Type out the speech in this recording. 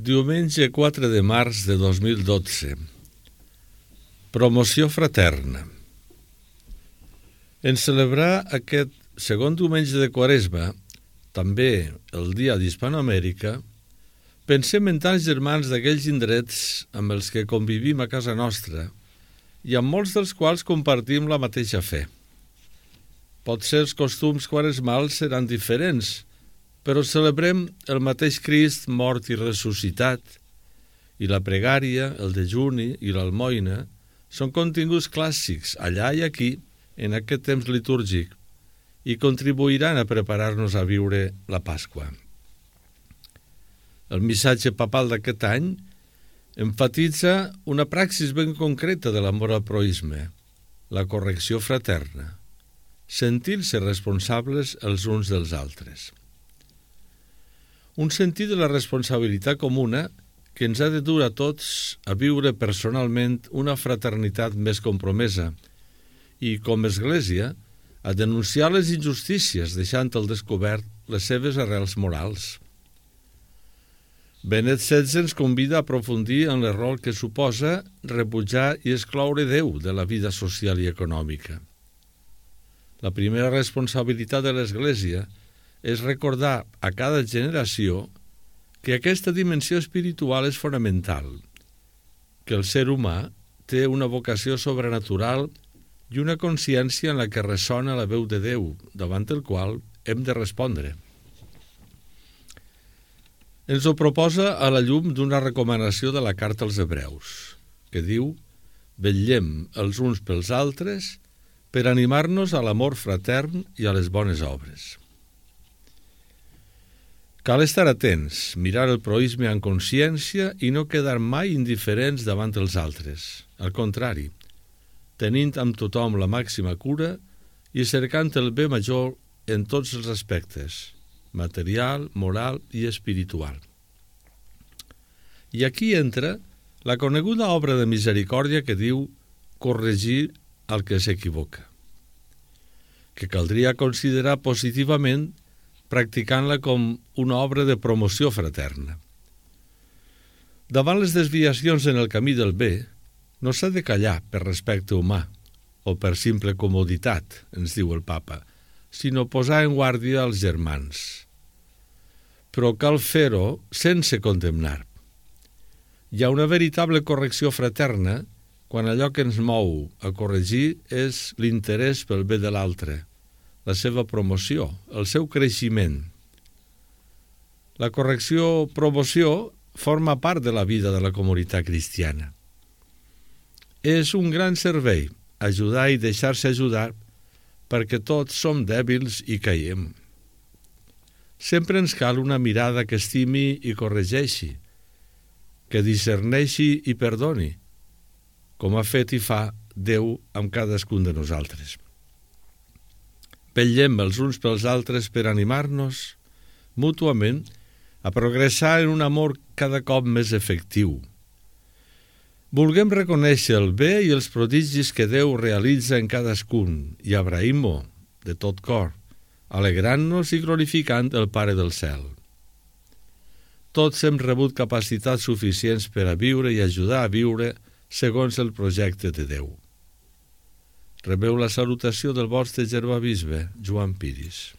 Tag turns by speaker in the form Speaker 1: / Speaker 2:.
Speaker 1: Diumenge 4 de març de 2012. Promoció fraterna. En celebrar aquest segon diumenge de Quaresma, també el dia d'Hispanoamèrica, pensem en tants germans d'aquells indrets amb els que convivim a casa nostra i amb molts dels quals compartim la mateixa fe. Potser els costums quaresmals seran diferents, però celebrem el mateix Crist mort i ressuscitat, i la pregària, el dejuni i l'almoina són continguts clàssics allà i aquí en aquest temps litúrgic i contribuiran a preparar-nos a viure la Pasqua. El missatge papal d'aquest any emfatitza una praxis ben concreta de l'amor al proïsme, la correcció fraterna, sentir-se responsables els uns dels altres. Un sentit de la responsabilitat comuna que ens ha de dur a tots a viure personalment una fraternitat més compromesa i, com a Església, a denunciar les injustícies deixant al descobert les seves arrels morals. Benet XVI ens convida a aprofundir en l'error que suposa rebutjar i excloure Déu de la vida social i econòmica. La primera responsabilitat de l'Església és recordar a cada generació que aquesta dimensió espiritual és fonamental, que el ser humà té una vocació sobrenatural i una consciència en la que ressona la veu de Déu, davant el qual hem de respondre. Ens ho proposa a la llum d'una recomanació de la Carta als Hebreus, que diu: «Vetllem els uns pels altres per animar-nos a l'amor fratern i a les bones obres». Cal estar atents, mirar el proïsme amb consciència i no quedar mai indiferents davant els altres. Al contrari, tenint amb tothom la màxima cura i cercant el bé major en tots els aspectes, material, moral i espiritual. I aquí entra la coneguda obra de misericòrdia que diu corregir al que s'equivoca, que caldria considerar positivament practicant-la com una obra de promoció fraterna. Davant les desviacions en el camí del bé, no s'ha de callar per respecte humà o per simple comoditat, ens diu el Papa, sinó posar en guàrdia els germans. Però cal fer-ho sense condemnar. Hi ha una veritable correcció fraterna quan allò que ens mou a corregir és l'interès pel bé de l'altre, la seva promoció, el seu creixement. La correcció-promoció forma part de la vida de la comunitat cristiana. És un gran servei ajudar i deixar-se ajudar perquè tots som dèbils i caiem. Sempre ens cal una mirada que estimi i corregeixi, que discerneixi i perdoni, com ha fet i fa Déu amb cadascun de nosaltres. Vetllem els uns pels altres per animar-nos mútuament a progressar en un amor cada cop més efectiu. Vulguem reconèixer el bé i els prodigis que Déu realitza en cadascun i agraïm-ho de tot cor, alegrant-nos i glorificant el Pare del Cel. Tots hem rebut capacitats suficients per a viure i ajudar a viure segons el projecte de Déu. Rebeu la salutació del vostre germà bisbe, Joan Piris.